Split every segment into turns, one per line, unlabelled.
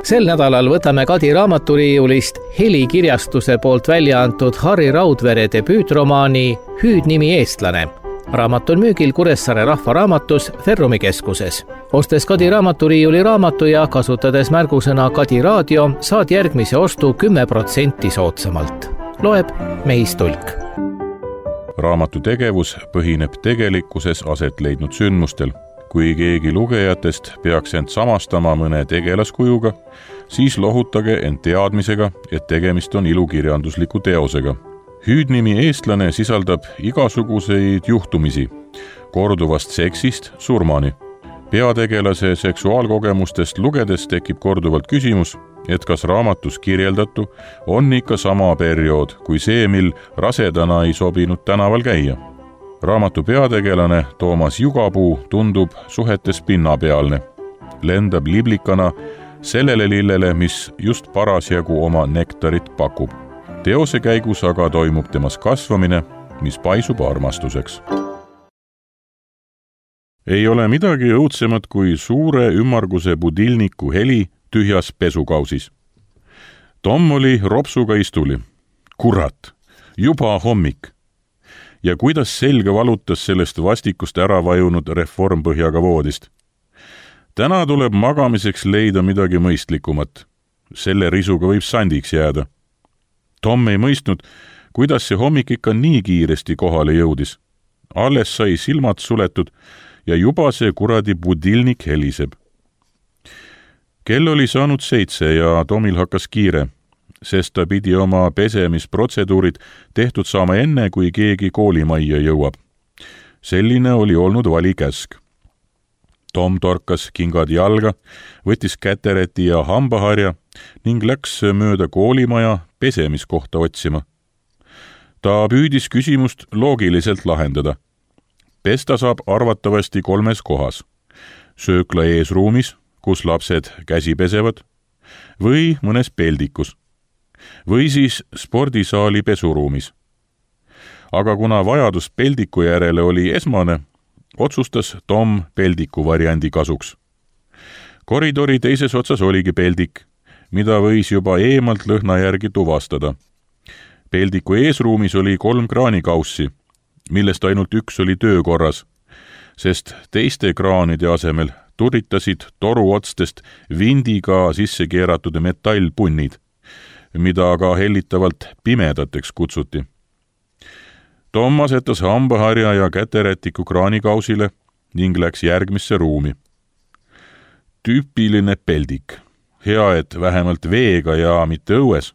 Sel nädalal võtame Kadi raamaturiiulist Helikirjastuse poolt välja antud Harri Raudvere debüütromaani Hüüdnimi eestlane. Raamat on müügil Kuressaare Rahvaraamatus Ferrumi keskuses. Ostes Kadi raamaturiiuli raamatu ja kasutades märgusõna Kadi raadio, saad järgmise ostu 10% soodsamalt. Loeb Meis Tulk.
Raamatu tegevus põhineb tegelikkuses aset leidnud sündmustel. Kui keegi lugejatest peaks end samastama mõne tegelaskujuga, siis lohutage end teadmisega, et tegemist on ilukirjandusliku teosega. Hüüdnimi eestlane sisaldab igasuguseid juhtumisi, korduvast seksist surmani. Peategelase seksuaalkogemustest lugedes tekib korduvalt küsimus, et kas raamatus kirjeldatu on ikka sama periood kui see, mil rasedana ei sobinud tänaval käia. Raamatu peategelane Toomas Jugapuu tundub suhetes pinnapealne. Lendab liblikana sellele lillele, mis just parasjagu oma nektarit pakub. Teose käigus aga toimub temas kasvamine, mis paisub armastuseks. Ei ole midagi õudsemat kui suure ümmarguse budilniku heli tühjas pesukausis. Tom oli ropsuga istuli. Kurat, juba hommik. Ja kuidas selga valutas sellest vastikust ära vajunud reformpõhjaga voodist. Täna tuleb magamiseks leida midagi mõistlikumat. Selle risuga võib sandiks jääda. Tom ei mõistnud, kuidas see hommik ikka nii kiiresti kohale jõudis. Alles sai silmad suletud ja juba see kuradi budilnik heliseb. Kell oli saanud 7 ja Tomil hakkas kiire, sest ta pidi oma pesemisprotseduurid tehtud saama enne, kui keegi koolimajja jõuab. Selline oli olnud valikäsk. Tom torkas kingad jalga, võttis kätereti ja hambaharja ning läks mööda koolimaja pesemiskohta otsima. Ta püüdis küsimust loogiliselt lahendada. Pesta saab arvatavasti 3 kohas. Söökla eesruumis, kus lapsed käsi pesevad, või mõnes peldikus. Või siis spordisaali pesuruumis. Aga kuna vajadus peldiku järele oli esmane, otsustas Tom peldiku variandi kasuks. Koridori teises otsas oligi peldik, mida võis juba eemalt lõhna järgi tuvastada. Peldiku eesruumis oli 3 kraanikaussi, millest ainult üks oli töökorras, sest teiste kraanide asemel turritasid toruotstest vindiga sisse keeratud metallpunnid, mida ka hellitavalt pimedateks kutsuti. Tom asetas hambaharja ja käterätiku kraanikausile ning läks järgmisse ruumi. Tüüpiline peldik. Hea, et vähemalt veega ja mitte õues,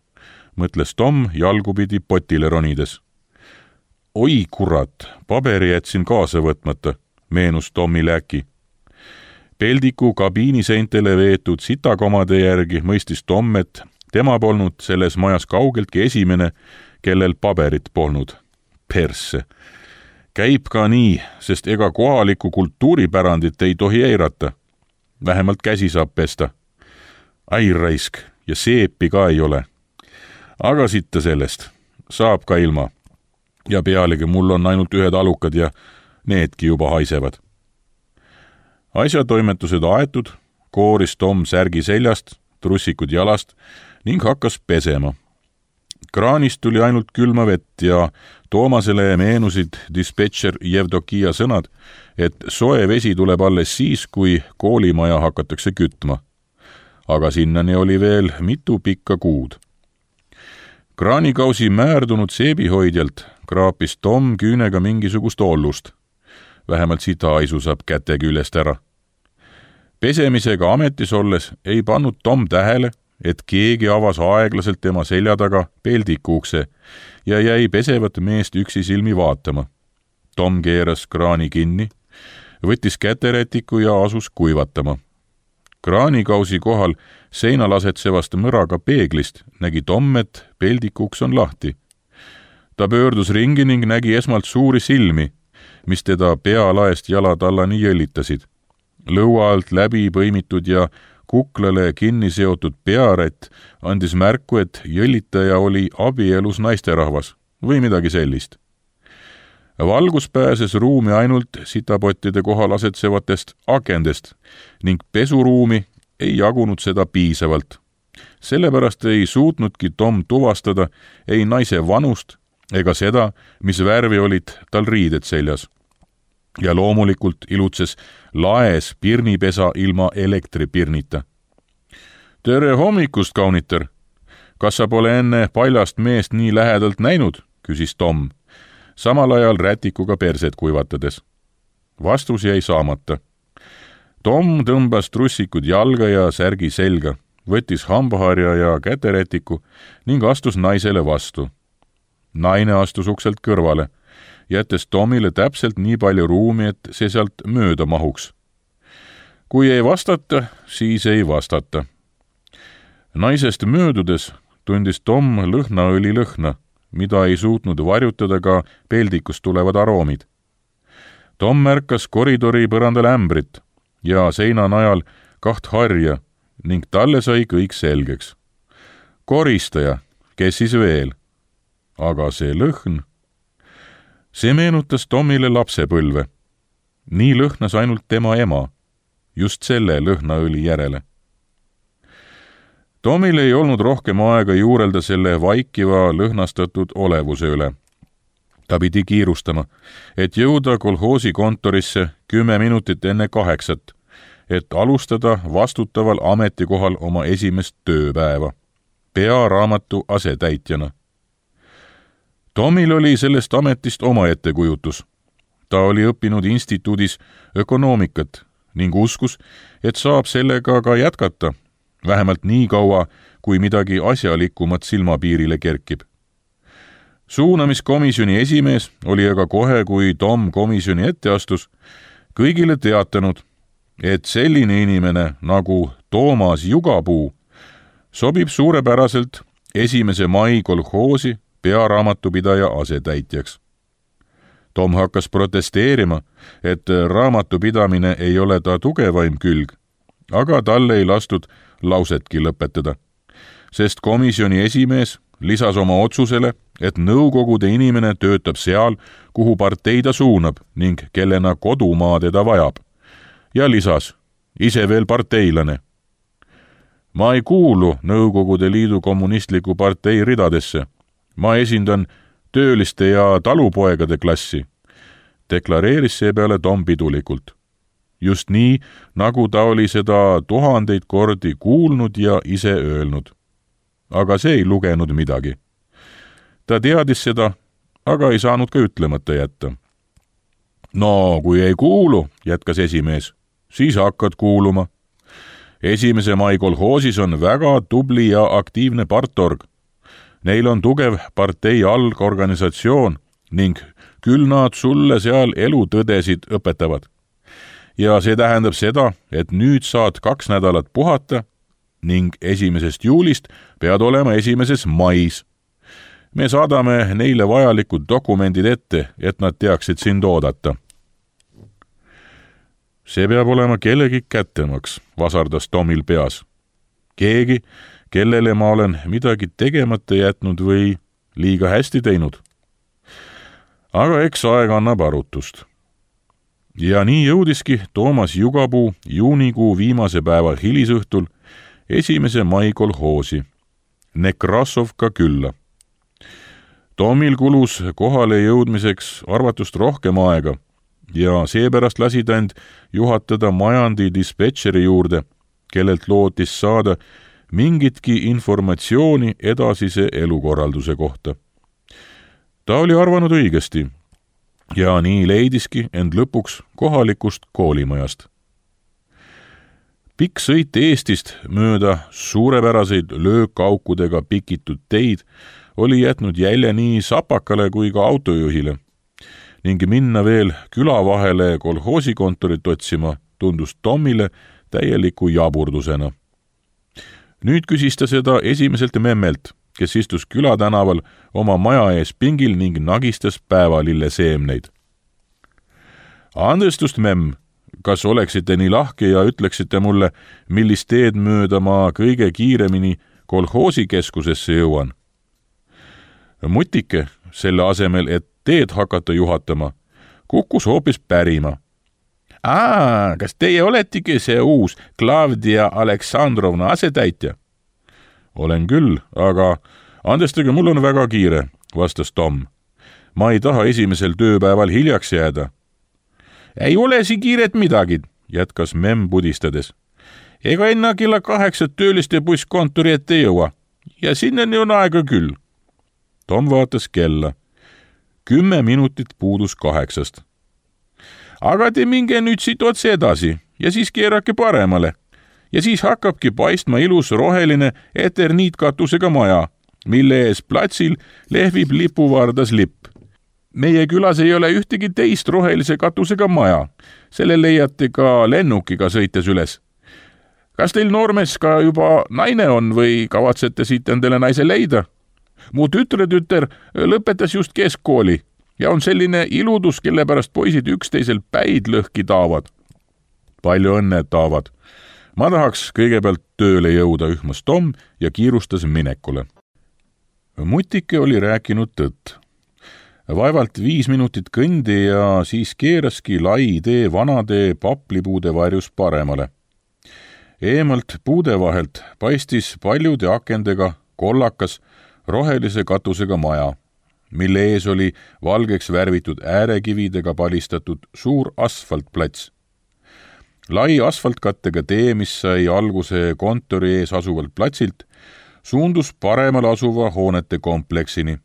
mõtles Tom jalgupidi potile ronides. Oi kurat, paberi jätsin kaasa võtmata, meenus Tomil äkki. Peldiku kabiiniseintele veetud sitakomade järgi mõistis Tom, et tema polnud selles majas kaugeltki esimene, kellel paberit polnud. Persse. Käib ka nii, sest ega kohalikku kultuuripärandit ei tohi eirata. Vähemalt käsi saab pesta. Ai raisk, ja seepi ka ei ole. Aga sitta sellest. Saab ka ilma. Ja pealegi mul on ainult 1 alukad ja needki juba haisevad. Asjatoimetused aetud, kooris Tom särgi seljast, trussikud jalast ning hakkas pesema. Kraanist tuli ainult külma vett ja Toomasele meenusid dispetšer Jevdokia sõnad, et soe vesi tuleb alles siis, kui koolimaja hakatakse kütma. Aga sinnani oli veel mitu pikka kuud. Kraanikausi määrdunud seebihoidjalt kraapis Tom küünega mingisugust ollust. Vähemalt sitahaisu saab käte küljest ära. Pesemisega ametis olles ei pannud Tom tähele, et keegi avas aeglaselt tema selja taga peldiku ukse ja jäi pesevat meest üksi silmi vaatama. Tom keeras kraani kinni, võttis käterätiku ja asus kuivatama. Kraanikausi kohal seinal asetsevast mõraga peeglist nägi Tom, et peldikuks on lahti. Ta pöördus ringi ning nägi esmalt suuri silmi, mis teda pealaest jalatallani jõllitasid. Lõua alt läbi põimitud ja kuklale kinni seotud pearätt andis märku, et jõllitaja oli abielus naisterahvas või midagi sellist. Valgus pääses ruumi ainult sitapottide kohal asetsevatest akendest ning pesuruumi ei jagunud seda piisavalt. Sellepärast ei suutnudki Tom tuvastada ei naise vanust ega seda, mis värvi olid tal riided seljas. Ja loomulikult ilutses laes pirnipesa ilma elektripirnita. Tere hommikust, kaunitar! Kas sa pole enne paljast meest nii lähedalt näinud, küsis Tom, samal ajal rätikuga perset kuivatades. Vastus jäi saamata. Tom tõmbas trussikud jalga ja särgi selga, võttis hambaharja ja käterätiku ning astus naisele vastu. Naine astus ukselt kõrvale, jättes Tomile täpselt nii palju ruumi, et see sealt mööda mahuks. Kui ei vastata, siis ei vastata. Naisest möödudes tundis Tom lõhnaõli lõhna, mida ei suutnud varjutada ka peldikust tulevad aroomid. Tom märkas koridori põrandal ämbrit ja seina najal 2 harja ning talle sai kõik selgeks. Koristaja, kes siis veel? Aga see lõhn? See meenutas Tomile lapsepõlve. Nii lõhnas ainult tema ema, just selle lõhnaõli järele. Tomil ei olnud rohkem aega juurelda selle vaikiva lõhnastatud olevuse üle. Ta pidi kiirustama, et jõuda kolhoosi kontorisse 10 minutit enne 8, et alustada vastutaval ametikohal oma esimest tööpäeva, pearaamatu asetäitjana. Tomil oli sellest ametist oma ettekujutus. Ta oli õppinud instituudis ökonoomikat ning uskus, et saab sellega ka jätkata, vähemalt nii kaua, kui midagi asjalikumat silmapiirile kerkib. Suunamiskomisjoni esimees oli aga kohe, kui Tom komisjoni ette astus, kõigile teatanud, et selline inimene nagu Toomas Jugapuu sobib suurepäraselt 1. mai kolhoosi pearaamatupidaja asetäitjaks. Tom hakkas protesteerima, et raamatupidamine ei ole ta tugevaim külg, aga talle ei lastud lausetki lõpetada, sest komisjoni esimees lisas oma otsusele, et nõukogude inimene töötab seal, kuhu partei ta suunab ning kellena kodumaa teda vajab. Ja lisas, ise veel parteilane. Ma ei kuulu Nõukogude Liidu kommunistliku partei ridadesse. Ma esindan tööliste ja talupoegade klassi, deklareeris seepeale Tom pidulikult. Just nii, nagu ta oli seda 1000 kordi kuulnud ja ise öelnud. Aga see ei lugenud midagi. Ta teadis seda, aga ei saanud ka ütlemata jätta. No, kui ei kuulu, jätkas esimees, siis hakkad kuuluma. 1. mai kolhoosis on väga tubli ja aktiivne partorg. Neil on tugev partei algorganisatsioon ning küll nad sulle seal elutõdesid õpetavad. Ja see tähendab seda, et nüüd saad 2 nädalat puhata ning 1. juulist pead olema 1. mais. Me saadame neile vajalikud dokumendid ette, et nad teaksid sind oodata. See peab olema kellegi kättemaks, vasardas Tomil peas. Keegi, kellele ma olen midagi tegemata jätnud või liiga hästi teinud. Aga eks aeg annab arutust. Ja nii jõudiski Toomas Jugapuu juunikuu viimase päeva hilisõhtul 1. mai kolhoosi, Nekrasovka külla. Tomil kulus kohale jõudmiseks arvatust rohkem aega ja seepärast lasi ta end juhatada majandi dispetšeri juurde, kellelt lootis saada mingitki informatsiooni edasise elukorralduse kohta. Ta oli arvanud õigesti ja nii leidiski end lõpuks kohalikust koolimajast. Pikk sõit Eestist mööda suurepäraseid löökaukudega pikitud teid oli jätnud jälje nii sapakale kui ka autojuhile ning minna veel küla vahele kolhoosikontorit otsima tundus Tomile täieliku jaburdusena. Nüüd küsis ta seda esimeselt memmelt, kes istus külatänaval oma maja ees pingil ning nagistas päevalille seemneid. Andestust, memm, kas oleksite nii lahke ja ütleksite mulle, millist teed mööda ma kõige kiiremini kolhoosikeskusesse jõuan? Mutike, selle asemel, et teed hakata juhatama, kukkus hoopis pärima. Kas teie oletegi see uus Klavdia Aleksandrovna asetäitja? Olen küll, aga andestage, mul on väga kiire, vastas Tom. Ma ei taha esimesel tööpäeval hiljaks jääda. Ei ole siin kiiret midagi, jätkas memm pudistades. Ega enne kella 8 tööliste buss kontori ette jõua ja sinnani on aega küll. Tom vaatas kella. 10 minutit puudus 8. Aga te minge nüüd siit otse edasi ja siis keerake paremale. Ja siis hakkabki paistma ilus roheline eterniitkatusega maja, mille ees platsil lehvib lipuvardas lipp. Meie külas ei ole ühtegi teist rohelise katusega maja. Selle leiate ka lennukiga sõites üles. Kas teil noormees ka juba naine on või kavatsete siit endale naise leida? Mu tütre lõpetas just keskkooli ja on selline iludus, kelle pärast poisid üksteisel päid lõhki taavad. Palju õnne taavad. Ma tahaks kõigepealt tööle jõuda, ühmas Tom ja kiirustas minekule. Mutike oli rääkinud tõtt. Vaevalt 5 minutit kõndi ja siis keeraski lai tee vanade paplipuude varjus paremale. Eemalt puude vahelt paistis paljude akendega kollakas rohelise katusega maja, mille ees oli valgeks värvitud äärekividega palistatud suur asfaltplats. Lai asfaltkattega tee, mis sai alguse kontori ees asuvalt platsilt, suundus paremal asuva hoonete kompleksini.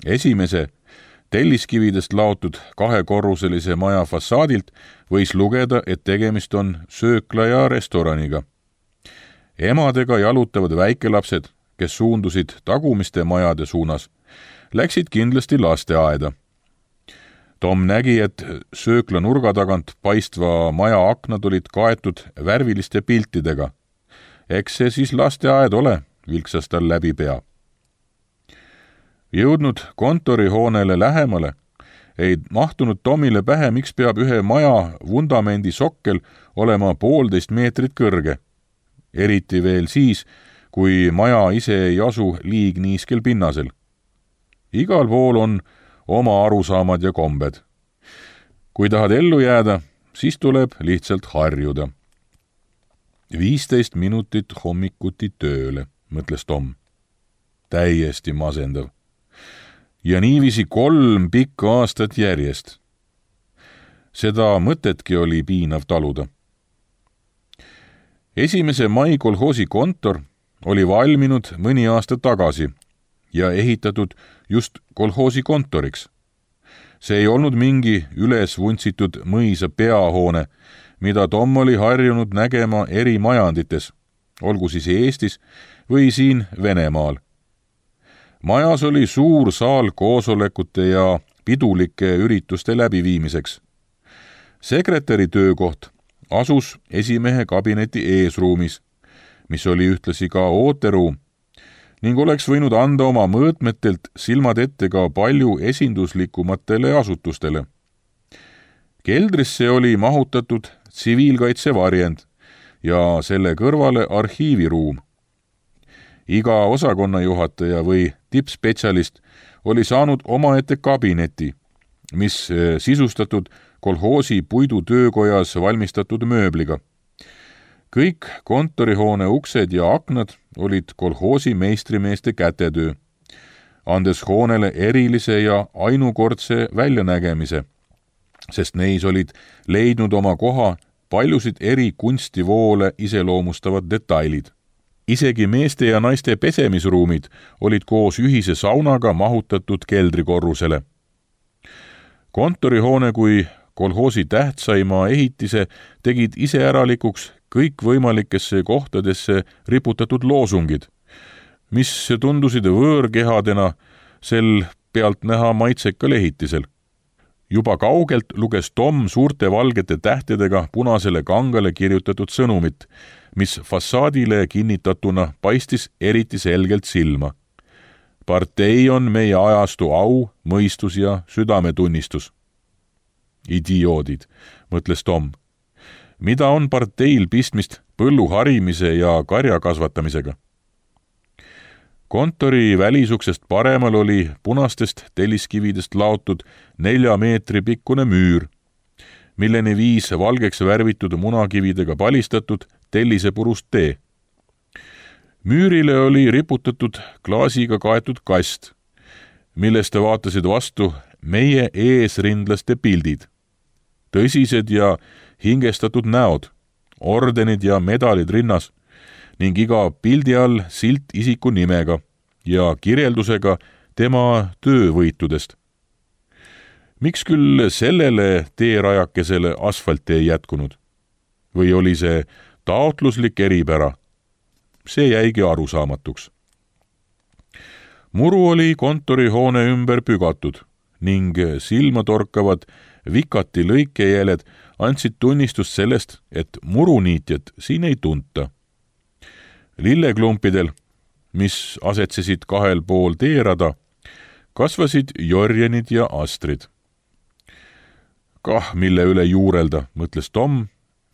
Esimese telliskividest laotud 2-korruselise maja fassaadilt võis lugeda, et tegemist on söökla ja restoraniga. Emadega jalutavad väikelapsed, kes suundusid tagumiste majade suunas, läksid kindlasti lasteaeda. Tom nägi, et söökla nurga tagant paistva maja aknad olid kaetud värviliste piltidega. Eks see siis lasteaed ole, vilksas tal läbi pea. Jõudnud kontorihoonele lähemale, ei mahtunud Tomile pähe, miks peab ühe maja vundamendi sokkel olema 1,5 meetrit kõrge. Eriti veel siis, kui maja ise ei asu liigniiskel pinnasel. Igal pool on oma arusaamad ja kombed. Kui tahad ellu jääda, siis tuleb lihtsalt harjuda. 15 minutit hommikuti tööle, mõtles Tom. Täiesti masendav. Ja niiviisi 3 pikka aastat järjest. Seda mõtetki oli piinav taluda. 1. mai kolhoosi kontor oli valminud mõni aasta tagasi ja ehitatud just kolhoosi kontoriks. See ei olnud mingi üles vuntsitud mõisa peahoone, mida Tom oli harjunud nägema eri majandites, olgu siis Eestis või siin Venemaal. Majas oli suur saal koosolekute ja pidulike ürituste läbiviimiseks. Sekretäri töökoht asus esimehe kabineti eesruumis, mis oli ühtlasi ka ooteruum, ning oleks võinud anda oma mõõtmetelt silmad ette ka palju esinduslikumatele asutustele. Keldrisse oli mahutatud tsiviilkaitsevarjend ja selle kõrvale arhiiviruum. Iga osakonnajuhataja või tippspetsialist oli saanud omaette kabineti, mis sisustatud kolhoosi puidutöökojas valmistatud mööbliga. Kõik kontorihoone uksed ja aknad olid kolhoosi meistrimeeste kätetöö, andes hoonele erilise ja ainukordse väljanägemise, sest neis olid leidnud oma koha paljusid eri kunstivoole iseloomustavad detailid. Isegi meeste ja naiste pesemisruumid olid koos ühise saunaga mahutatud keldrikorrusele. Kontorihoone kui kolhoosi tähtsaima ehitise tegid iseäralikuks kõikvõimalikesse kohtadesse riputatud loosungid, mis tundusid võõrkehadena sel pealt näha maitsekal ehitisel. Juba kaugelt luges Tom suurte valgete tähtedega punasele kangale kirjutatud sõnumit, mis fassaadile kinnitatuna paistis eriti selgelt silma. Partei on meie ajastu au, mõistus ja südametunnistus. Idioodid, mõtles Tom. Mida on parteil pistmist põllu harimise ja karja kasvatamisega? Kontori välisuksest paremal oli punastest telliskividest laotud 4 meetri pikkune müür, milleni viis valgeks värvitud munakividega palistatud tellisepurust tee. Müürile oli riputatud klaasiga kaetud kast, millest vaatasid vastu meie eesrindlaste pildid. Tõsised ja hingestatud näod, ordenid ja medalid rinnas ning iga pildi all silt isiku nimega ja kirjeldusega tema töövõitudest. Miks küll sellele teerajakesele asfalti ei jätkunud? Või oli see taotluslik eripära? See jäigi arusaamatuks. Muru oli kontorihoone ümber pügatud ning silmatorkavad vikati lõikejäljed andsid tunnistust sellest, et muruniitjat siin ei tunta. Lilleklumpidel, mis asetsesid kahel pool teerada, kasvasid jorjenid ja astrid. Kah, mille üle juurelda, mõtles Tom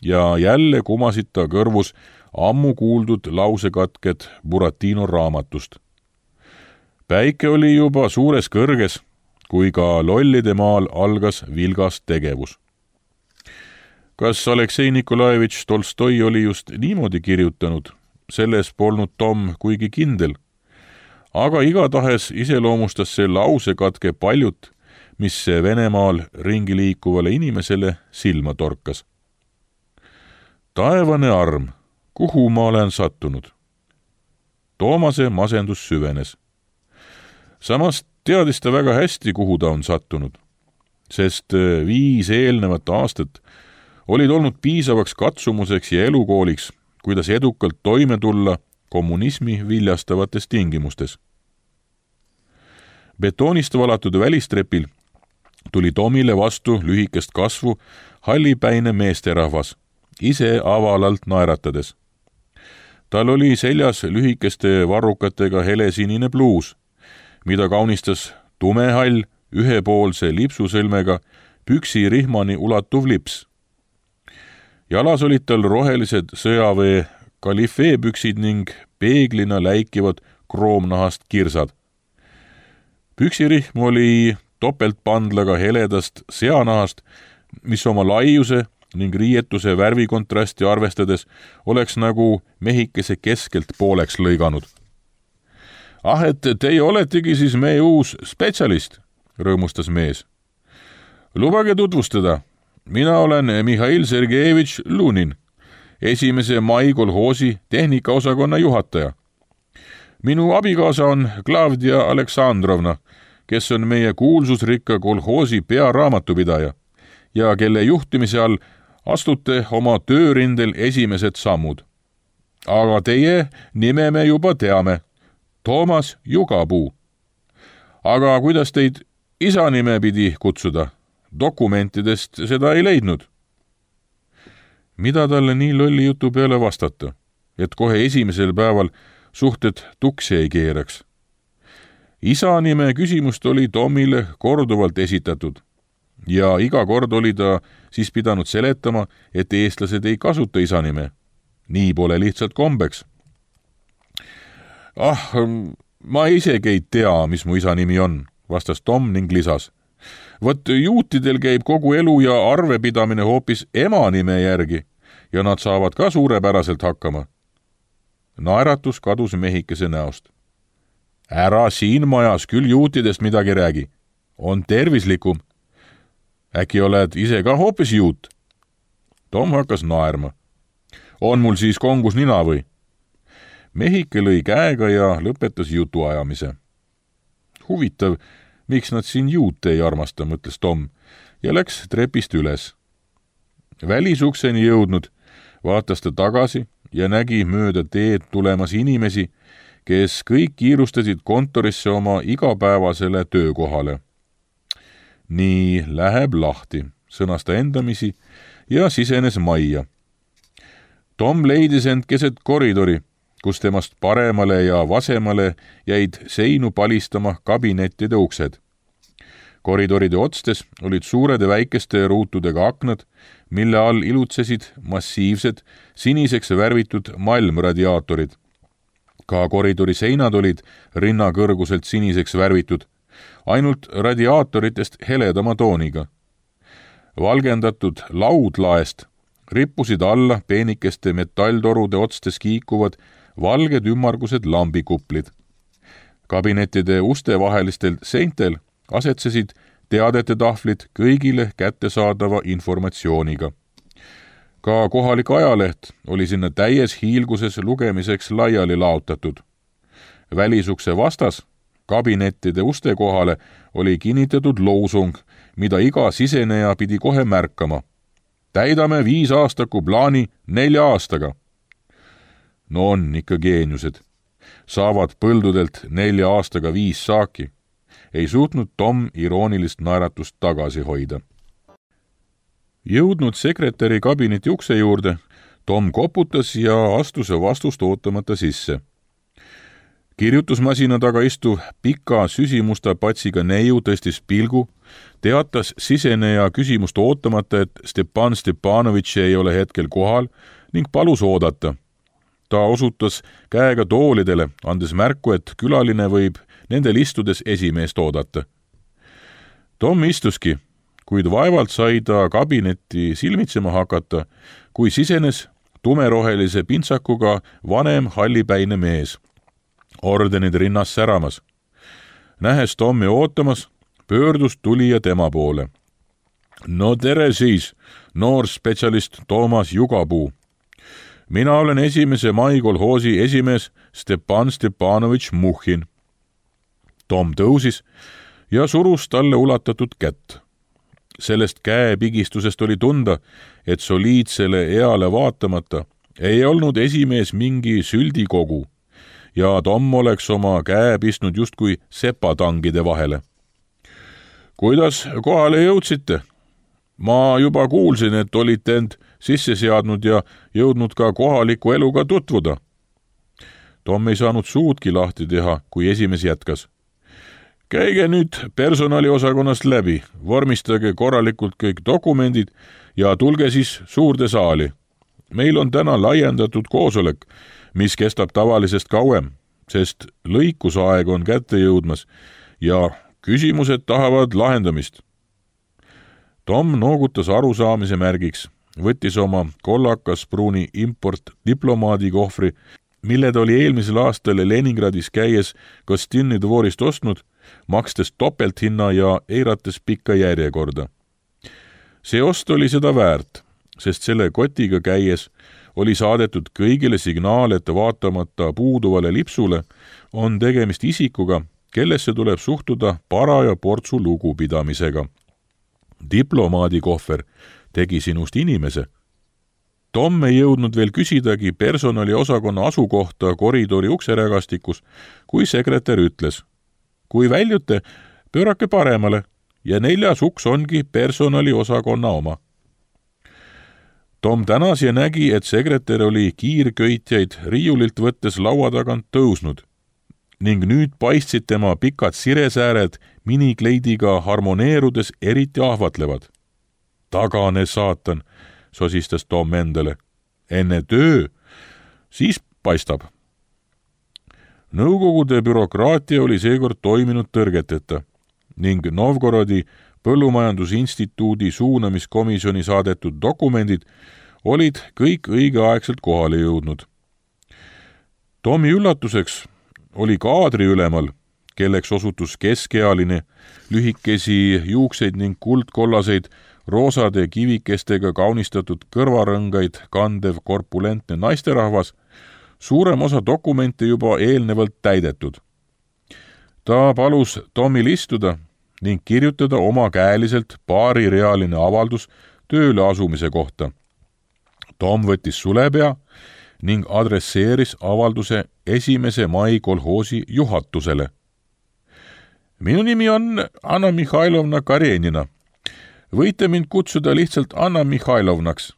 ja jälle kumasid ta kõrvus ammu kuuldud lausekatked Buratino raamatust. Päike oli juba suures kõrges, kui ka lollide maal algas vilgas tegevus. Kas Aleksei Nikolajevitš Tolstoi oli just niimoodi kirjutanud, selles polnud Tom kuigi kindel, aga igatahes iseloomustas see lausekatke paljut, mis Venemaal ringi liikuvale inimesele silma torkas. Taevane arm, kuhu ma olen sattunud? Toomase masendus süvenes. Samas teadis ta väga hästi, kuhu ta on sattunud, sest 5 eelnevat aastat olid olnud piisavaks katsumuseks ja elukooliks, kuidas edukalt toime tulla kommunismi viljastavates tingimustes. Betoonist valatud välistrepil tuli Tomile vastu lühikest kasvu hallipäine meesterahvas, ise avalalt naeratades. Tal oli seljas lühikeste varrukatega helesinine bluus, mida kaunistas tumehall ühepoolse lipsusõlmega püksirihmani ulatuv lips. Jalas olid tal rohelised sõjaväe kalifeepüksid ning peeglina läikivad kroomnahast kirsad. Püksirihm oli topeltpandlaga heledast seanahast, mis oma laiuse ning riietuse värvikontrasti arvestades oleks nagu mehikese keskelt pooleks lõiganud. Et teie oletegi siis meie uus spetsialist, rõõmustas mees. Lubage tutvustada. Mina olen Mihhail Sergejevitš Lunin, 1. mai kolhoosi tehnikaosakonna juhataja. Minu abikaasa on Klavdia Aleksandrovna, kes on meie kuulsusrikka kolhoosi pearaamatupidaja ja kelle juhtimise all astute oma töörindel esimesed sammud. Aga teie nime me juba teame. Toomas Jugapuu. Aga kuidas teid isa nime pidi kutsuda? Dokumentidest seda ei leidnud. Mida talle nii lolli jutu peale vastata, et kohe esimesel päeval suhted tuksi ei keeraks? Isa nime küsimust oli Tomile korduvalt esitatud ja iga kord oli ta siis pidanud seletama, et eestlased ei kasuta isa nime. Nii pole lihtsalt kombeks. Ma isegi ei tea, mis mu isa nimi on, vastas Tom ning lisas. Võt juutidel käib kogu elu ja arvepidamine hoopis ema nime järgi ja nad saavad ka suurepäraselt hakkama. Naeratus kadus mehikese näost. Ära siin majas küll juutidest midagi räägi. On tervislikum. Äkki oled ise ka hoopis juut? Tom hakkas naerma. On mul siis kongus nina või? Mehike lõi käega ja lõpetas jutuajamise. Huvitav, miks nad siin juute ei armasta, mõtles Tom ja läks trepist üles. Välisukseni jõudnud, vaatas ta tagasi ja nägi mööda teed tulemas inimesi, kes kõik kiirustasid kontorisse oma igapäevasele töökohale. Nii läheb lahti, sõnas ta endamisi ja sisenes majja. Tom leidis end keset koridori, kus temast paremale ja vasemale jäid seinu palistama kabinettide uksed. Koridoride otstes olid suured ja väikeste ruutudega aknad, mille all ilutsesid massiivsed, siniseks värvitud malmradiaatorid. Ka koridori seinad olid rinnakõrguselt siniseks värvitud, ainult radiaatoritest heledama tooniga. valgendatud laudlaest rippusid alla peenikeste metalltorude otstes kiikuvad valged ümmargused lambikuplid. Kabinettide uste vahelistel seintel asetsesid teadete tahvlid kõigile kättesaadava informatsiooniga. Ka kohalik ajaleht oli sinna täies hiilguses lugemiseks laiali laotatud. Välisukse vastas kabinettide uste kohale oli kinnitatud loosung, mida iga siseneja pidi kohe märkama. Täidame 5-aastaku plaani 4 aastaga. No on ikka geeniused. Saavad põldudelt 4 aastaga 5 saaki. Ei suutnud Tom iroonilist naeratust tagasi hoida. Jõudnud sekretäri kabineti ukse juurde, Tom koputas ja astus vastust ootamata sisse. Kirjutusmasina taga istuv pika süsimusta patsiga neiu tõstis pilgu, teatas siseneja küsimust ootamata, et Stepan Stepanovitš ei ole hetkel kohal ning palus oodata. Ta osutas käega toolidele, andes märku, et külaline võib nendel istudes esimeest oodata. Tom istuski, kuid vaevalt sai ta kabinetti silmitsema hakata, kui sisenes tumerohelise pintsakuga vanem hallipäine mees. Ordenid rinnas säramas. Nähes Tommi ootamas, pöördus tulija tema poole. No tere siis, noor spetsialist Toomas Jugapuu. Mina olen 1. mai kolhoosi esimees Stepan Stepanovitš Muhhin. Tom tõusis ja surus talle ulatatud kätt. Sellest käepigistusest oli tunda, et soliidsele eale vaatamata ei olnud esimees mingi süldikogu ja Tom oleks oma käe pistnud justkui sepatangide vahele. Kuidas kohale jõudsite? Ma juba kuulsin, et olite end sisse seadnud ja jõudnud ka kohaliku eluga tutvuda. Tom ei saanud suudki lahti teha, kui esimees jätkas. Käige nüüd personaliosakonnast läbi, vormistage korralikult kõik dokumendid ja tulge siis suurde saali. Meil on täna laiendatud koosolek, mis kestab tavalisest kauem, sest lõikusaeg on kätte jõudmas ja küsimused tahavad lahendamist. Tom noogutas arusaamise märgiks, võttis oma kollakas pruuni import diplomaadikohvri, mille ta oli eelmisel aastal Leningradis käies Gostinni dvorist ostnud, makstes topelthinna ja eirates pikka järjekorda. See ost oli seda väärt, sest selle kotiga käies oli saadetud kõigile signaal, et vaatamata puuduvale lipsule on tegemist isikuga, kellesse tuleb suhtuda paraja portsu lugupidamisega. Diplomaadikohver tegi sinust inimese. Tom ei jõudnud veel küsidagi personaliosakonna asukohta koridori ukserägastikus, kui sekretär ütles, kui väljute, pöörake paremale ja 4. uks ongi personaliosakonna oma. Tom tänas ja nägi, et sekretär oli kiirköitjaid riiulilt võttes laua tagant tõusnud ning nüüd paistsid tema pikad siresääred minikleidiga harmoneerudes eriti ahvatlevad. Tagane saatan, sosistas Tom endale. Enne töö, siis paistab. Nõukogude bürokraatia oli seekord toiminud tõrgeteta ning Novgorodi Põllumajandusinstituudi suunamiskomisjoni saadetud dokumendid olid kõik õigeaegselt kohale jõudnud. Tomi üllatuseks oli kaadriülemal, kelleks osutus keskealine, lühikesi juukseid ning kuldkollaseid roosade kivikestega kaunistatud kõrvarõngaid kandev korpulentne naisterahvas, suurem osa dokumente juba eelnevalt täidetud. Ta palus Tomil istuda ning kirjutada omakäeliselt paarirealine avaldus tööle asumise kohta. Tom võttis sulepea ning adresseeris avalduse 1. mai kolhoosi juhatusele. Minu nimi on Anna Mihhailovna Karenina. Võite mind kutsuda lihtsalt Anna Mihhailovnaks,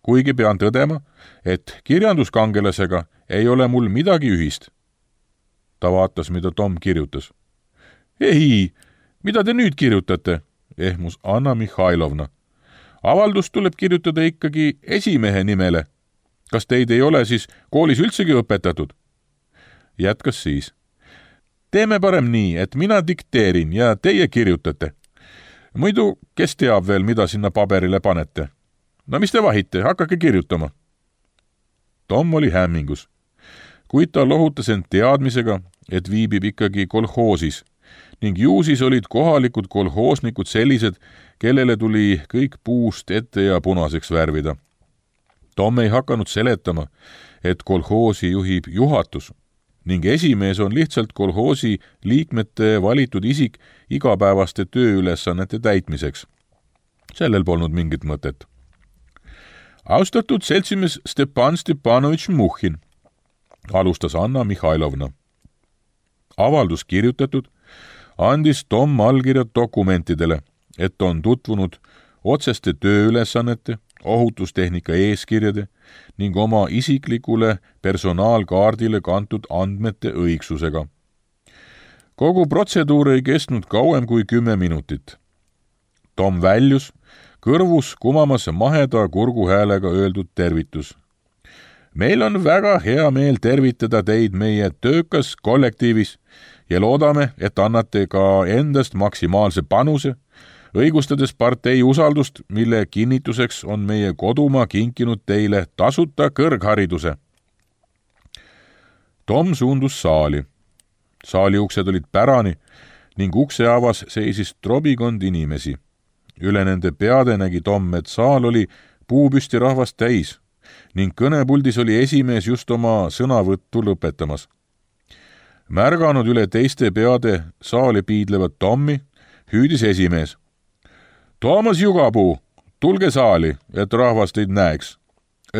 kuigi pean tõdema, et kirjanduskangelasega ei ole mul midagi ühist. Ta vaatas, mida Tom kirjutas. Ei, mida te nüüd kirjutate? Ehmus Anna Mihhailovna. Avaldus tuleb kirjutada ikkagi esimehe nimele. Kas teid ei ole siis koolis üldsegi õpetatud? Jätkas siis. Teeme parem nii, et mina dikteerin ja teie kirjutate. Muidu, kes teab veel, mida sinna paberile panete? No mis te vahite, hakake kirjutama. Tom oli hämmingus, kuid ta lohutas end teadmisega, et viibib ikkagi kolhoosis ning ju siis olid kohalikud kolhoosnikud sellised, kellele tuli kõik puust ette ja punaseks värvida. Tom ei hakanud seletama, et kolhoosi juhib juhatus ning esimees on lihtsalt kolhoosi liikmete valitud isik igapäevaste tööülesannete täitmiseks. Sellel polnud mingit mõtet. Austatud seltsimees Stepan Stepanovitš Muhhin, alustas Anna Mihhailovna. Avaldus kirjutatud, andis Tom allkirjad dokumentidele, et on tutvunud otseste tööülesannete, ohutustehnika eeskirjade ning oma isiklikule personaalkaardile kantud andmete õigsusega. Kogu protseduur ei kestnud kauem kui 10 minutit. Tom väljus, kõrvus kumamas maheda kurguhäälega öeldud tervitus. Meil on väga hea meel tervitada teid meie töökas kollektiivis ja loodame, et annate ka endast maksimaalse panuse, õigustades partei usaldust, mille kinnituseks on meie kodumaa kinkinud teile tasuta kõrghariduse. Tom suundus saali. Saali uksed olid pärani ning ukse avas seisis trobikond inimesi. Üle nende peade nägi Tom, et saal oli puupüsti rahvast täis ning kõnepuldis oli esimees just oma sõnavõttu lõpetamas. Märganud üle teiste peade saali piidlevat Tommi, hüüdis esimees. Toomas Jugapuu, tulge saali, et rahvas teid näeks.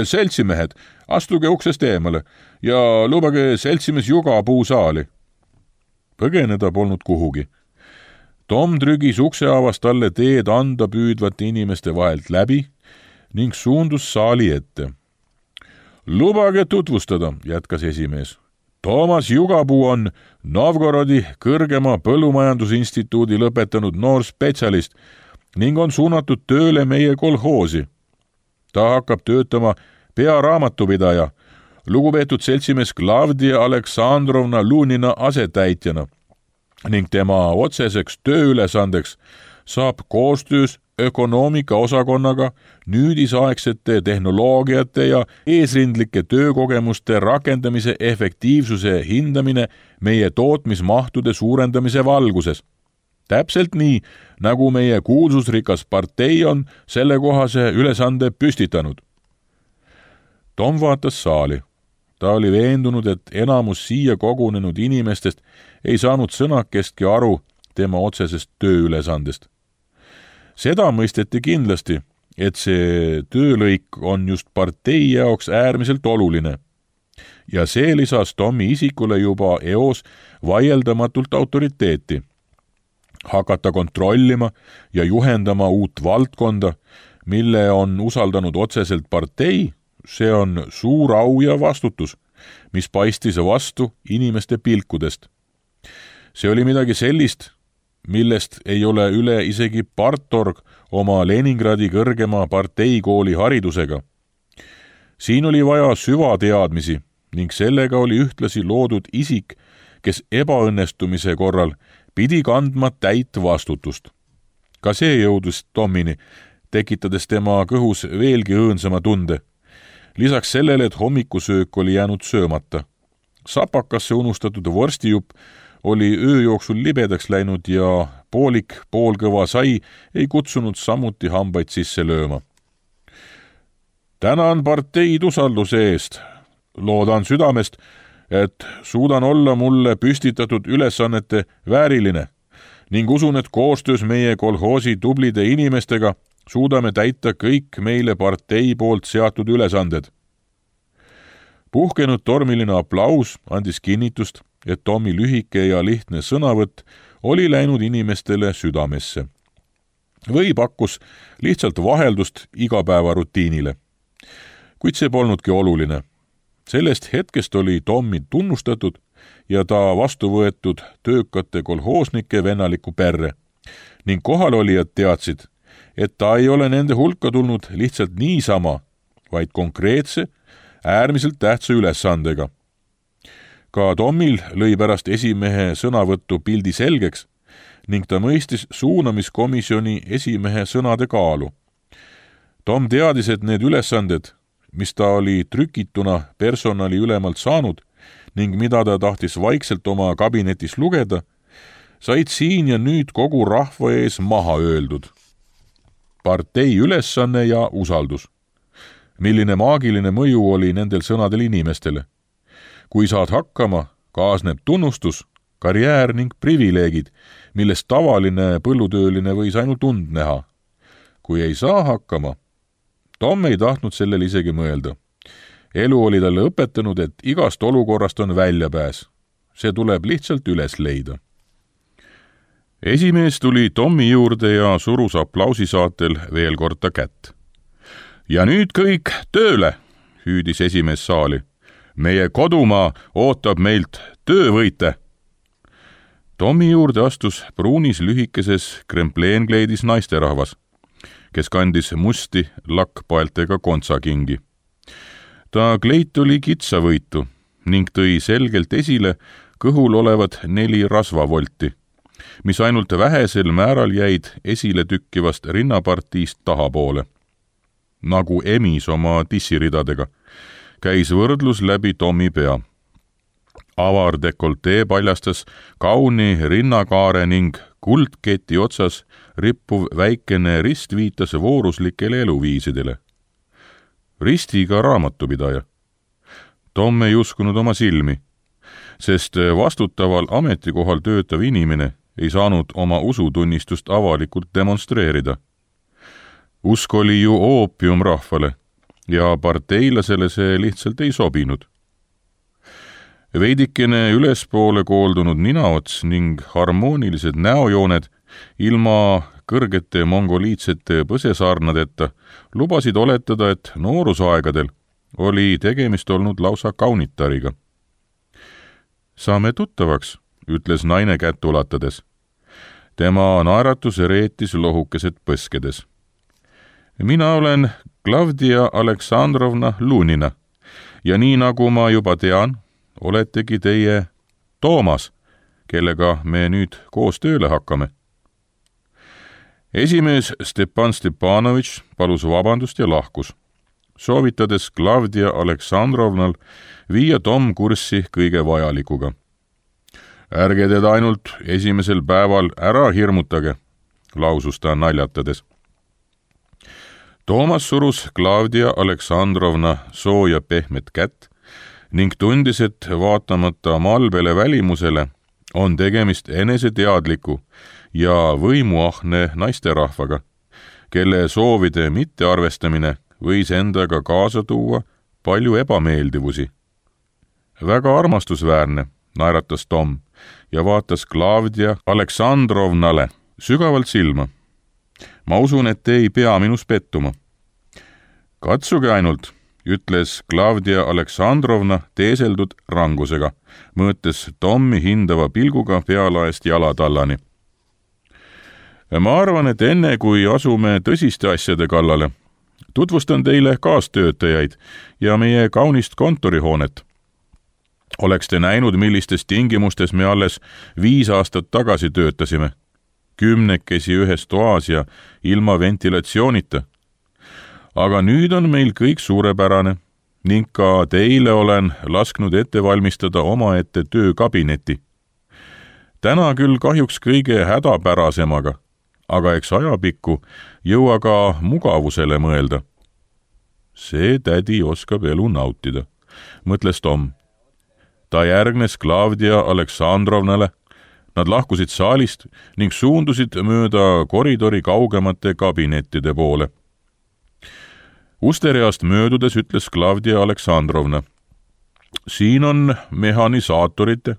Seltsimehed, astuge uksest eemale ja lubage seltsimees Jugapuu saali. Põgeneda polnud kuhugi. Tom trügis ukseavast talle teed anda püüdvate inimeste vahelt läbi ning suundus saali ette. Lubage tutvustada, jätkas esimees. Toomas Jugapuu on Novgorodi kõrgema põllumajandusinstituudi lõpetanud noor spetsialist ning on suunatud tööle meie kolhoosi. Ta hakkab töötama pearaamatupidaja, lugupeetud seltsimees Klavdia Aleksandrovna Lunina asetäitjana ning tema otseseks tööülesandeks saab koostöös ökonoomika osakonnaga nüüdisaegsete tehnoloogiate ja eesrindlike töökogemuste rakendamise efektiivsuse hindamine meie tootmismahtude suurendamise valguses. Täpselt nii, nagu meie kuulsusrikas partei on sellekohase ülesande püstitanud. Tom vaatas saali. Ta oli veendunud, et enamus siia kogunenud inimestest ei saanud sõnakestki aru tema otsesest tööülesandest. Seda mõisteti kindlasti, et see töölõik on just partei jaoks äärmiselt oluline. Ja see lisas Tommi isikule juba eos vaieldamatult autoriteeti. Hakata kontrollima ja juhendama uut valdkonda, mille on usaldanud otseselt partei, see on suur au ja vastutus, mis paistis vastu inimeste pilkudest. See oli midagi sellist, millest ei ole üle isegi partorg oma Leningradi kõrgema parteikooli haridusega. Siin oli vaja süvateadmisi ning sellega oli ühtlasi loodud isik, kes ebaõnnestumise korral pidi kandma täit vastutust. Ka see jõudus Tommini, tekitades tema kõhus veelgi õõnsama tunde. Lisaks sellele, et hommikusöök oli jäänud söömata. Sapakasse unustatud vorstijupp oli öö jooksul libedaks läinud ja poolik poolkõva sai ei kutsunud samuti hambaid sisse lööma. Tänan parteid usalduse eest. Loodan südamest, et suudan olla mulle püstitatud ülesannete vääriline ning usun, et koostöös meie kolhoosi tublide inimestega suudame täita kõik meile partei poolt seatud ülesanded. Puhkenud tormiline aplaus andis kinnitust, et Tommi lühike ja lihtne sõnavõtt oli läinud inimestele südamesse. Või pakkus lihtsalt vaheldust igapäevarutiinile. Kuid see polnudki oluline. Sellest hetkest oli Tommi tunnustatud ja ta vastu võetud töökate kolhoosnike vennalikku perre ning kohalolijad teadsid, et ta ei ole nende hulka tulnud lihtsalt niisama, vaid konkreetse, äärmiselt tähtsa ülesandega. Ka Tommil lõi pärast esimehe sõnavõttu pildi selgeks, ning ta mõistis suunamiskomisjoni esimehe sõnade kaalu. Tom teadis, et need ülesanded, mis ta oli trükituna personali ülemalt saanud ning mida ta tahtis vaikselt oma kabinetis lugeda, said siin ja nüüd kogu rahva ees maha öeldud. Partei ülesanne ja usaldus. Milline maagiline mõju oli nendel sõnadel inimestele. Kui saad hakkama, kaasneb tunnustus, karjäär ning privileegid, millest tavaline põllutööline võis ainult und näha. Kui ei saa hakkama, Tom ei tahtnud sellel isegi mõelda. Elu oli talle õpetanud, et igast olukorrast on väljapääs. See tuleb lihtsalt üles leida. Esimees tuli Tommi juurde ja surus aplausisaatel veel kord ta kätt. Ja nüüd kõik tööle, hüüdis esimees saali. Meie kodumaa ootab meilt töövõite. Tommi juurde astus pruunis lühikeses krempleenkleidis naisterahvas, kes kandis musti lakkpaeltega kontsakingi. Ta kleit oli kitsavõitu ning tõi selgelt esile kõhul olevad 4 rasvavolti, mis ainult vähesel määral jäid esile tükkivast rinnapartiist tahapoole. Nagu emis oma tissiridadega, käis võrdlus läbi Tommi pea. Avar dekoltee paljastas kauni rinnakaare ning kuldketi otsas rippuv väikene rist viitas vooruslikele eluviisidele. Ristiga raamatupidaja. Tom ei uskunud oma silmi, sest vastutaval ametikohal töötav inimene ei saanud oma usutunnistust avalikult demonstreerida. Usk oli ju oopium rahvale ja parteilasele see lihtsalt ei sobinud. Veidikene ülespoole kooldunud ninaots ning harmoonilised näojooned ilma kõrgete mongoliitsete põsesaarnadeta lubasid oletada, et noorusaegadel oli tegemist olnud lausa kaunitariga. Saame tuttavaks, ütles naine kätt ulatades. Tema naeratus reetis lohukesed põskedes. Mina olen Klavdia Aleksandrovna Lunina ja nii nagu ma juba tean, oletegi teie Toomas, kellega me nüüd koos tööle hakkame. Esimees Stepan Stepanovitš palus vabandust ja lahkus, soovitades Klavdia Aleksandrovnal viia Tom kurssi kõige vajalikuga. Ärge teda ainult esimesel päeval ära hirmutage, lausus ta naljatades. Toomas surus Klavdia Aleksandrovna sooja pehmet kätt ning tundis, et vaatamata malbele välimusele on tegemist eneseteadliku ja võimuahne naisterahvaga, kelle soovide mittearvestamine võis endaga kaasa tuua palju ebameeldivusi. Väga armastusväärne, naeratas Tom ja vaatas Klavdia Aleksandrovnale sügavalt silma. Ma usun, et te ei pea minus pettuma. Katsuge ainult, ütles Klavdia Aleksandrovna teeseldud rangusega, mõõtes Tommi hindava pilguga pealaest jalatallani. Ma arvan, et enne kui asume tõsiste asjade kallale, tutvustan teile kaastöötajaid ja meie kaunist kontorihoonet. Oleks te näinud, millistes tingimustes me alles 5 aastat tagasi töötasime, 10 ühes toas ja ilma ventilatsioonita. Aga nüüd on meil kõik suurepärane ning ka teile olen lasknud ette valmistada omaette töökabineti. Täna küll kahjuks kõige hädapärasemaga, aga eks ajapikku jõua ka mugavusele mõelda. See tädi oskab elu nautida, mõtles Tom. Ta järgnes Klavdia Aleksandrovnale, nad lahkusid saalist ning suundusid mööda koridori kaugemate kabinettide poole. Ustereast möödudes ütles Klavdia Aleksandrovna. Siin on mehanisaatorite,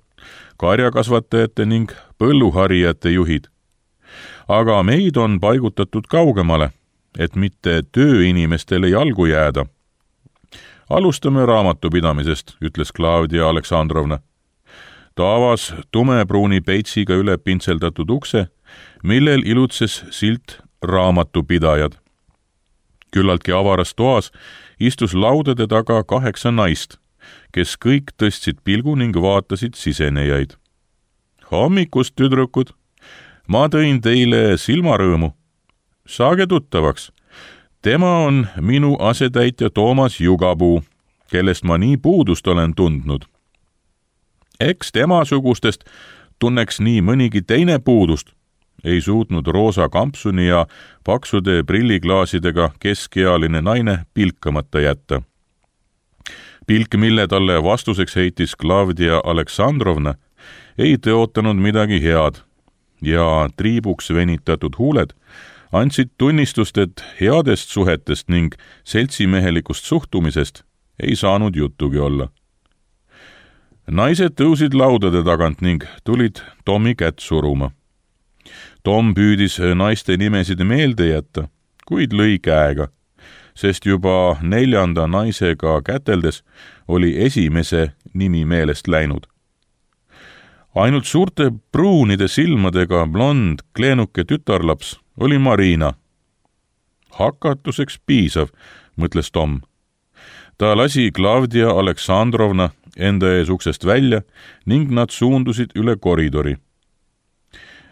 karjakasvatajate ning põlluharijate juhid. Aga meid on paigutatud kaugemale, et mitte tööinimestele jalgu jääda. Alustame raamatupidamisest, ütles Klavdia Aleksandrovna. Ta avas tumepruuni peitsiga üle pintseldatud ukse, millel ilutses silt raamatupidajad. Küllaltki avaras toas istus laudade taga 8 naist, kes kõik tõstsid pilgu ning vaatasid sisenejaid. Hommikust, tüdrukud! ma tõin teile silmarõõmu. Saage tuttavaks. Tema on minu asetäitja Toomas Jugapuu, kellest ma nii puudust olen tundnud. Eks temasugustest tunneks nii mõnigi teine puudust, ei suutnud roosa kampsuni ja paksude prilliklaasidega keskealine naine pilkamata jätta. Pilk, mille talle vastuseks heitis Klavdia Aleksandrovna, ei tõotanud midagi head ja triibuks venitatud huuled andsid tunnistust, et headest suhetest ning seltsimehelikust suhtumisest ei saanud juttugi olla. Naised tõusid laudade tagant ning tulid Tommi kätt suruma. Tom püüdis naiste nimesid meelde jätta, kuid lõi käega, sest juba 4. naisega käteldes oli esimese nimi meelest läinud. Ainult suurte pruunide silmadega blond kleenuke tütarlaps oli Marina. Hakatuseks piisav, mõtles Tom. Ta lasi Klavdia Aleksandrovna enda ees uksest välja ning nad suundusid üle koridori.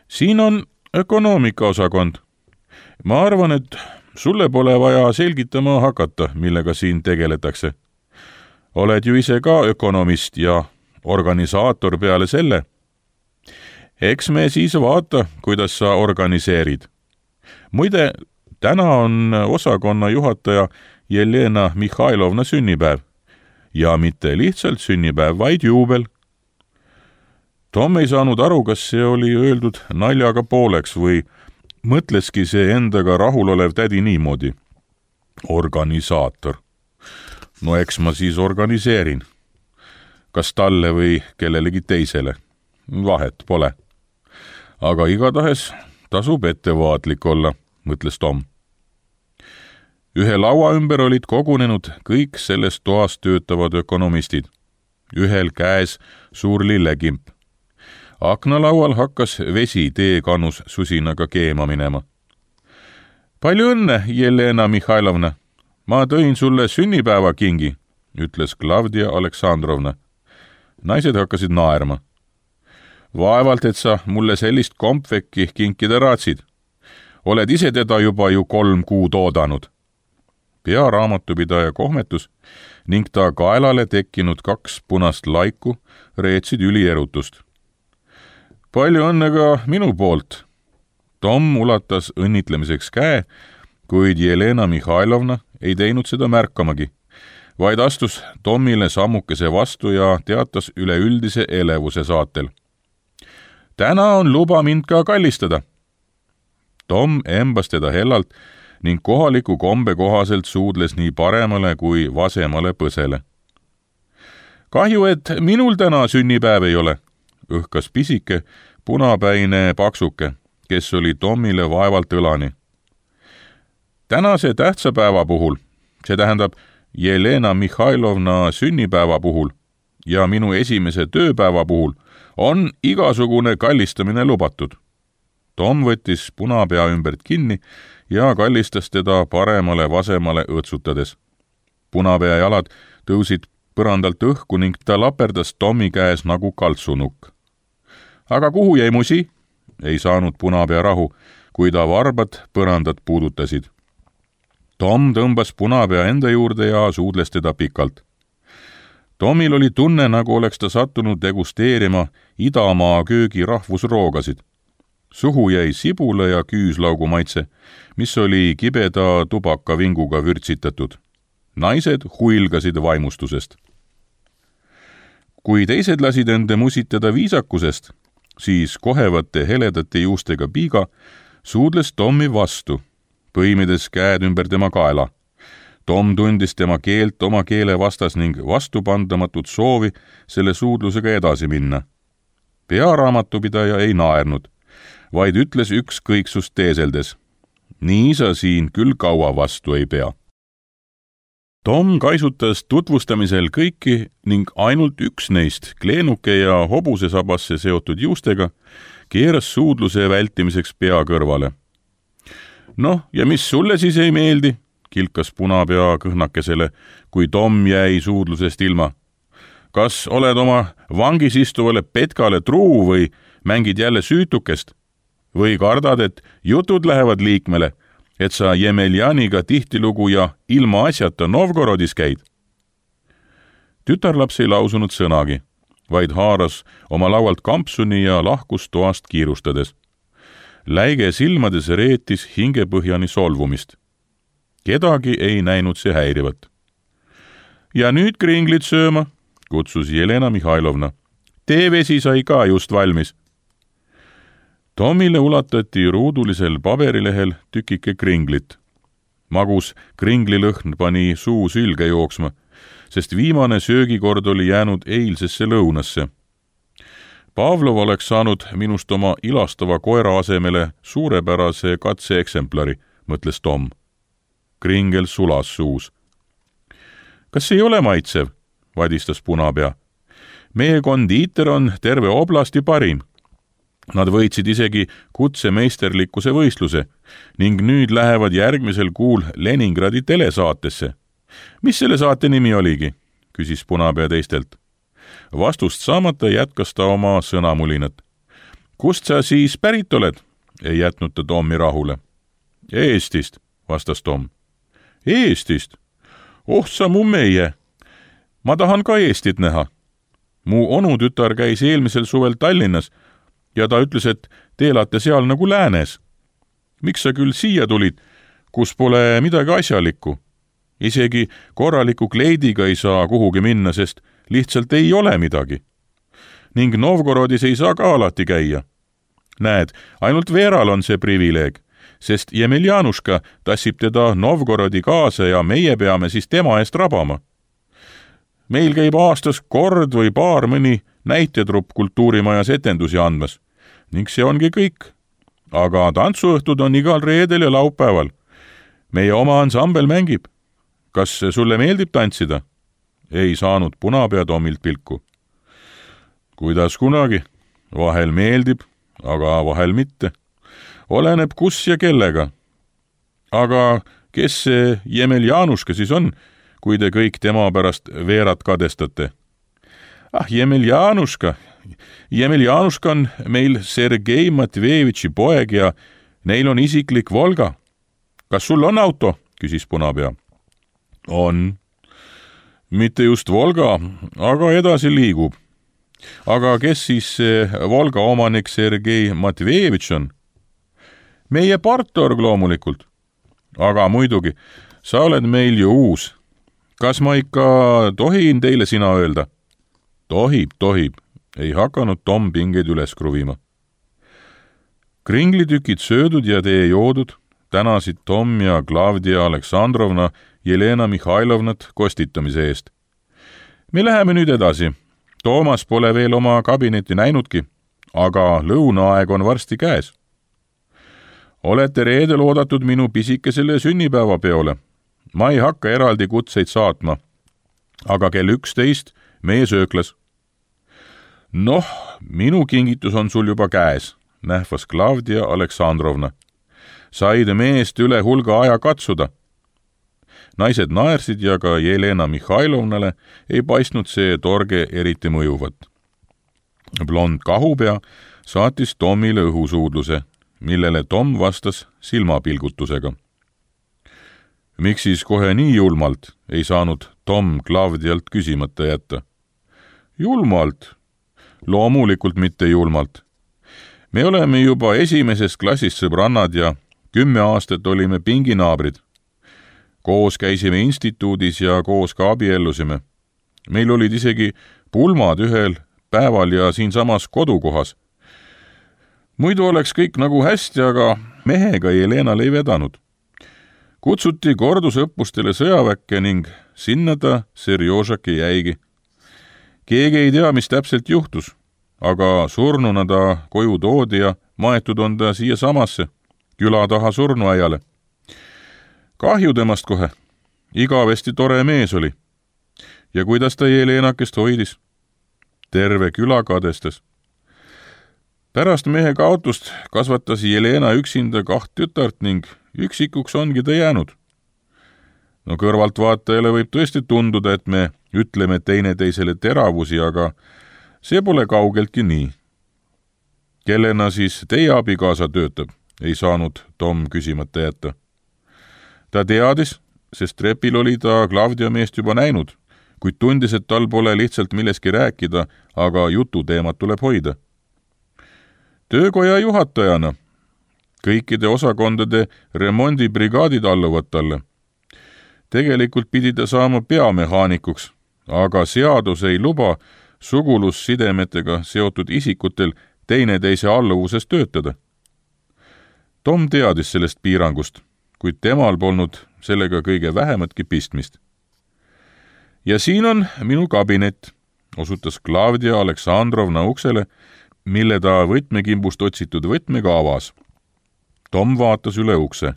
Siin on ökonoomikaosakond. Ma arvan, et sulle pole vaja selgitama hakata, millega siin tegeletakse. Oled ju ise ka ökonomist ja organisaator peale selle. Eks me siis vaata, kuidas sa organiseerid. Muide, täna on osakonna juhataja Jelena Mihhailovna sünnipäev. Ja mitte lihtsalt sünnipäev, vaid juubel. Tom ei saanud aru, kas see oli öeldud naljaga pooleks või mõtleski see endaga rahulolev tädi niimoodi. Organisaator. No eks ma siis organiseerin. Kas talle või kellelegi teisele. Vahet pole. Aga igatahes tasub ettevaatlik olla, mõtles Tom. Ühe laua ümber olid kogunenud kõik selles toas töötavad ökonomistid. Ühel käes suur lillekimp. Aknalaual hakkas vesi teekannus susinaga keema minema. Palju õnne, Jelena Mihhailovna. Ma tõin sulle sünnipäevakingi, ütles Klavdia Aleksandrovna. Naised hakkasid naerma. Vaevalt, et sa mulle sellist kompvekki kinkida raatsid. Oled ise teda juba ju 3 kuud oodanud. Pearaamatupidaja kohmetus ning ta kaelale tekkinud 2 punast laiku reetsid ülierutust. Palju õnne ka minu poolt. Tom ulatas õnnitlemiseks käe, kuid Jelena Mihhailovna ei teinud seda märkamagi, vaid astus Tomile sammukese vastu ja teatas üleüldise elevuse saatel. Täna on luba mind ka kallistada. Tom embas teda hellalt ning kohaliku kombe kohaselt suudles nii paremale kui vasemale põsele. Kahju, et minul täna sünnipäev ei ole, õhkas pisike, punapäine paksuke, kes oli Tomile vaevalt õlani. Tänase tähtsa päeva puhul, see tähendab Jelena Mihhailovna sünnipäeva puhul ja minu esimese tööpäeva puhul, on igasugune kallistamine lubatud. Tom võttis punapea ümbert kinni ja kallistas teda paremale-vasemale õõtsutades. Punapea jalad tõusid põrandalt õhku ning ta laperdas Tommi käes nagu kaltsunukk. Aga kuhu jäi musi? Ei saanud punapea rahu, kui ta varbad põrandat puudutasid. Tom tõmbas punapea enda juurde ja suudles teda pikalt. Tomil oli tunne, nagu oleks ta sattunud degusteerima Idamaa köögi rahvusroogasid. Suhu jäi sibula ja küüslaugu maitse, mis oli kibeda tubakavinguga vürtsitatud. Naised huilgasid vaimustusest. Kui teised lasid ende musitada viisakusest, siis kohevate heledate juustega piiga suudles Tommi vastu, põimides käed ümber tema kaela. Tom tundis tema keelt oma keele vastas ning vastupandamatut soovi selle suudlusega edasi minna. Pearaamatupidaja ei naernud, vaid ütles ükskõiksust teeseldes. Nii sa siin küll kaua vastu ei pea. Tom kaisutas tutvustamisel kõiki ning ainult üks neist, kleenuke ja hobusesabasse seotud juustega, keeras suudluse vältimiseks pea kõrvale. Noh, ja mis sulle siis ei meeldi? Kilkas punapea kõhnakesele, kui Tom jäi suudlusest ilma. Kas oled oma vangis istuvale petkale truu või mängid jälle süütukest? Või kardad, et jutud lähevad liikmele, et sa Jemeljaniga tihtilugu ja ilma asjata Novgorodis käid? Tütarlaps ei lausunud sõnagi, vaid haaras oma laualt kampsuni ja lahkus toast kiirustades. Läige silmades reetis hingepõhjani solvumist. Kedagi ei näinud see häirivat. Ja nüüd kringlid sööma, kutsus Jelena Mihhailovna. Teevesi sai ka just valmis. Tomile ulatati ruudulisel paberilehel tükike kringlit. Magus kringlilõhn pani suu sülge jooksma, sest viimane söögikord oli jäänud eilsesse lõunasse. Pavlov oleks saanud minust oma ilastava koera asemele suurepärase katseeksemplari, mõtles Tom. Kringel sulas suus. Kas ei ole maitsev? Vadistas punapea. Meie kondiiter on terve oblasti parim. Nad võitsid isegi kutsemeisterlikkuse võistluse ning nüüd lähevad järgmisel kuul Leningradi telesaatesse. Mis selle saate nimi oligi? Küsis punapea teistelt. Vastust saamata jätkas ta oma sõnamulinat. Kust sa siis pärit oled? Ei jätnud ta Tommi rahule. Eestist, vastas Tom. Eestist? Oh sa mu meie! Ma tahan ka Eestit näha. Mu onutütar käis eelmisel suvel Tallinnas ja ta ütles, et te elate seal nagu läänes. Miks sa küll siia tulid, kus pole midagi asjalikku? Isegi korraliku kleidiga ei saa kuhugi minna, sest lihtsalt ei ole midagi. Ning Novgorodis ei saa ka alati käia. Näed, ainult Veeral on see privileeg, sest Jemeljanuška tassib teda Novgorodi kaasa ja meie peame siis tema eest rabama. Meil käib aastas kord või paar mõni näitjatrupp kultuurimajas etendusi andmas ning see ongi kõik. Aga tantsuõhtud on igal reedel ja laupäeval. Meie oma ansambel mängib. Kas sulle meeldib tantsida? Ei saanud punapea Tomilt pilku. Kuidas kunagi? Vahel meeldib, aga vahel mitte. Oleneb kus ja kellega. Aga kes see Jemeljanuška siis on, kui te kõik tema pärast Veerat kadestate? Jemeljanuška on meil Sergei Matvejevitši poeg ja neil on isiklik Volga. Kas sul on auto? Küsis punapea. On. Mitte just Volga, aga edasi liigub. Aga kes siis see Volga omanik Sergei Matvejevitš on? Meie partorg loomulikult. Aga muidugi, sa oled meil ju uus. Kas ma ikka tohin teile sina öelda? Tohib. Ei hakanud Tom pingeid üles kruvima. Kringlitükid söödud ja tee joodud, tänasid Tom ja Klavdia Aleksandrovna Jelena Mihhailovnat kostitamise eest. Me läheme nüüd edasi. Toomas pole veel oma kabinetti näinudki, aga lõunaaeg on varsti käes. Olete reedel oodatud minu pisikesele sünnipäevapeole. Ma ei hakka eraldi kutseid saatma, aga kell 11 meie sööklas. Noh, minu kingitus on sul juba käes, nähvas Klavdia Aleksandrovna. Said meest üle hulga aja katsuda. Naised naersid ja ka Jelena Mihhailovnale ei paistnud see torge eriti mõjuvat. Blond kahupea saatis Tomile õhusuudluse, millele Tom vastas silmapilgutusega. Miks siis kohe nii julmalt, ei saanud Tom Klavdialt küsimata jätta. Julmalt? Loomulikult mitte julmalt. Me oleme juba esimesest klassist sõbrannad ja 10 aastat olime pinginaabrid. Koos käisime instituudis ja koos ka abiellusime. Meil olid isegi pulmad ühel päeval ja siinsamas kodukohas. Muidu oleks kõik nagu hästi, aga mehega Jelenal ei vedanud. Kutsuti kordusõppustele sõjaväkke ning sinna ta Serjožaki jäigi. Keegi ei tea, mis täpselt juhtus, aga surnuna ta koju toodi ja maetud on ta siia samasse, küla taha surnuaiale. Kahju temast kohe. Igavesti tore mees oli. Ja kuidas ta Jelenakest hoidis? Terve küla kadestas. Pärast mehe kaotust kasvatas Jelena üksinda 2 tütart ning üksikuks ongi ta jäänud. No kõrvaltvaatajale võib tõesti tunduda, et me ütleme teineteisele teravusi, aga see pole kaugeltki nii. Kellena siis teie abikaasa töötab, ei saanud Tom küsimata jätta. Ta teadis, sest trepil oli ta Claudia meest juba näinud, kuid tundis, et tal pole lihtsalt milleski rääkida, aga jututeemat tuleb hoida. Töökoja juhatajana kõikide osakondade remondibrigaadid alluvad talle. Tegelikult pidi ta saama peamehaanikuks, aga seadus ei luba sugulussidemetega seotud isikutel teineteise alluvuses töötada. Tom teadis sellest piirangust, kuid temal polnud sellega kõige vähematki pistmist. Ja siin on minu kabinet, osutas Claudia Aleksandrovna uksele, mille ta võtmekimbust otsitud võtmega avas. Tom vaatas üle ukse.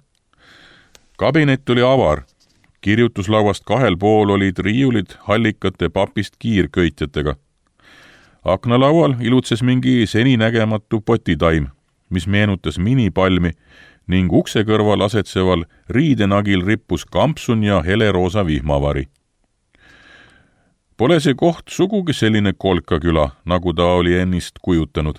Kabinet oli avar. Kirjutuslauast kahel pool olid riiulid hallikate papist kiirköitjatega. Aknalaual ilutses mingi seninägematu potitaim, mis meenutas minipalmi ning ukse kõrval asetseval riidenagil rippus kampsun ja heleroosa vihmavari. Pole see koht sugugi selline kolkaküla, nagu ta oli ennist kujutanud.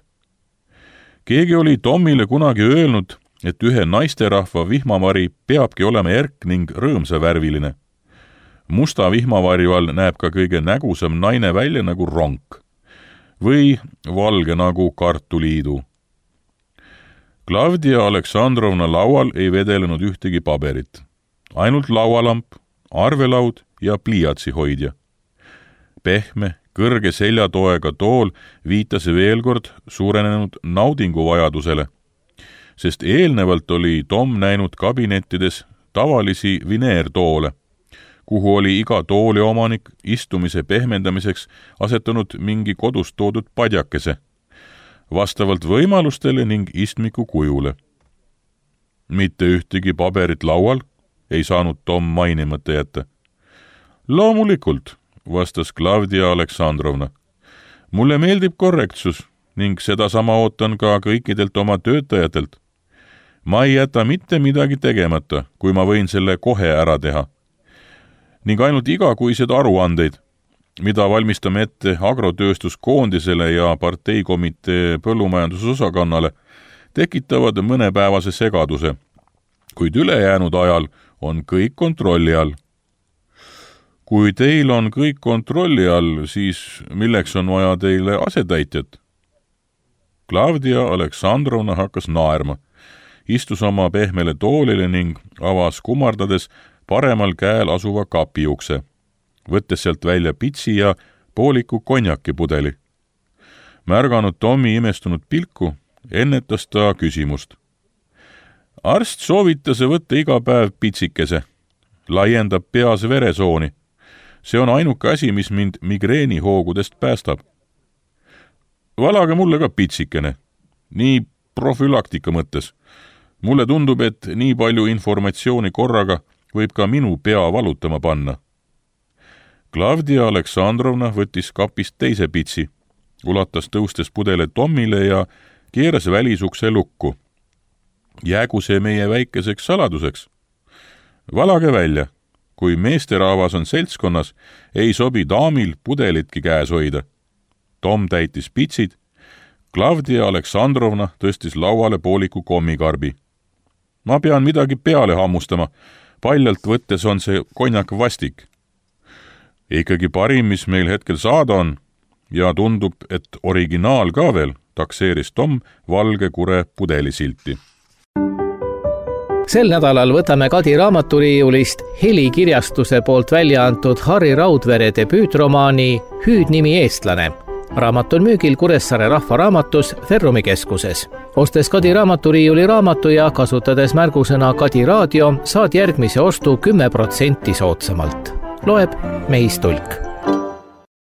Keegi oli Tomile kunagi öelnud, et ühe naisterahva vihmavari peabki olema erk ning rõõmsavärviline. Musta vihmavarju all näeb ka kõige nägusam naine välja nagu ronk või valge nagu kartuliidu. Claudia Aleksandrovna laual ei vedelenud ühtegi paberit. Ainult laualamp, arvelaud ja pliiatsihoidja. Pehme, kõrge seljatoega tool viitas veel kord suurenenud naudinguvajadusele, sest eelnevalt oli Tom näinud kabinettides tavalisi vineertoole, kuhu oli iga tooli omanik istumise pehmendamiseks asetanud mingi kodust toodud padjakese, vastavalt võimalustele ning istmiku kujule. Mitte ühtegi paberit laual ei saanud Tom mainimata jätta. Loomulikult, vastas Claudia Aleksandrovna. Mulle meeldib korrektsus ning sedasama ootan ka kõikidelt oma töötajatelt. Ma ei jäta mitte midagi tegemata, kui ma võin selle kohe ära teha. Ning ainult igakuised aruandeid, mida valmistame ette agrotööstuskoondisele ja parteikomitee põllumajandusosakonnale, tekitavad mõnepäevase segaduse, kuid ülejäänud ajal on kõik kontrolli all. Kui teil on kõik kontrolli all, siis milleks on vaja teile asetäitjat? Claudia Aleksandrovna hakkas naerma, istus oma pehmele toolile ning avas kummardades paremal käel asuva kapiukse, võttes sealt välja pitsi ja pooliku konjakipudeli. Märganud Tommi imestunud pilku, ennetas ta küsimust. Arst soovitas võtta iga päev pitsikese, laiendab peas veresooni. See on ainuke asi, mis mind migreenihoogudest päästab. Valage mulle ka pitsikene, nii profülaktika mõttes. Mulle tundub, et nii palju informatsiooni korraga võib ka minu pea valutama panna. Claudia Aleksandrovna võttis kapist teise pitsi, ulatas tõustes pudele Tommile ja keeras välisukse lukku. Jäägu see meie väikeseks saladuseks. Valage välja. Kui meesterahvas on seltskonnas, ei sobi daamil pudelitki käes hoida. Tom täitis pitsid. Claudia Aleksandrovna tõstis lauale pooliku kommikarbi. Ma pean midagi peale hammustama. Paljalt võttes on see konjak vastik. Ikkagi parim, mis meil hetkel saada on, ja tundub, et originaal ka veel, takseeris Tom valge kure pudelisilti.
Sel nädalal võtame Kadi raamaturiiulist Heli kirjastuse poolt välja antud Harri Raudvere debüütromaani Hüüdnimi eestlane. Raamat on müügil Kuressaare Rahvaraamatus Ferrumi keskuses. Ostes Kadi raamaturiiuli raamatu ja kasutades märgusõna Kadi raadio, saad järgmise ostu 10% soodsamalt. Loeb Meis Tulk.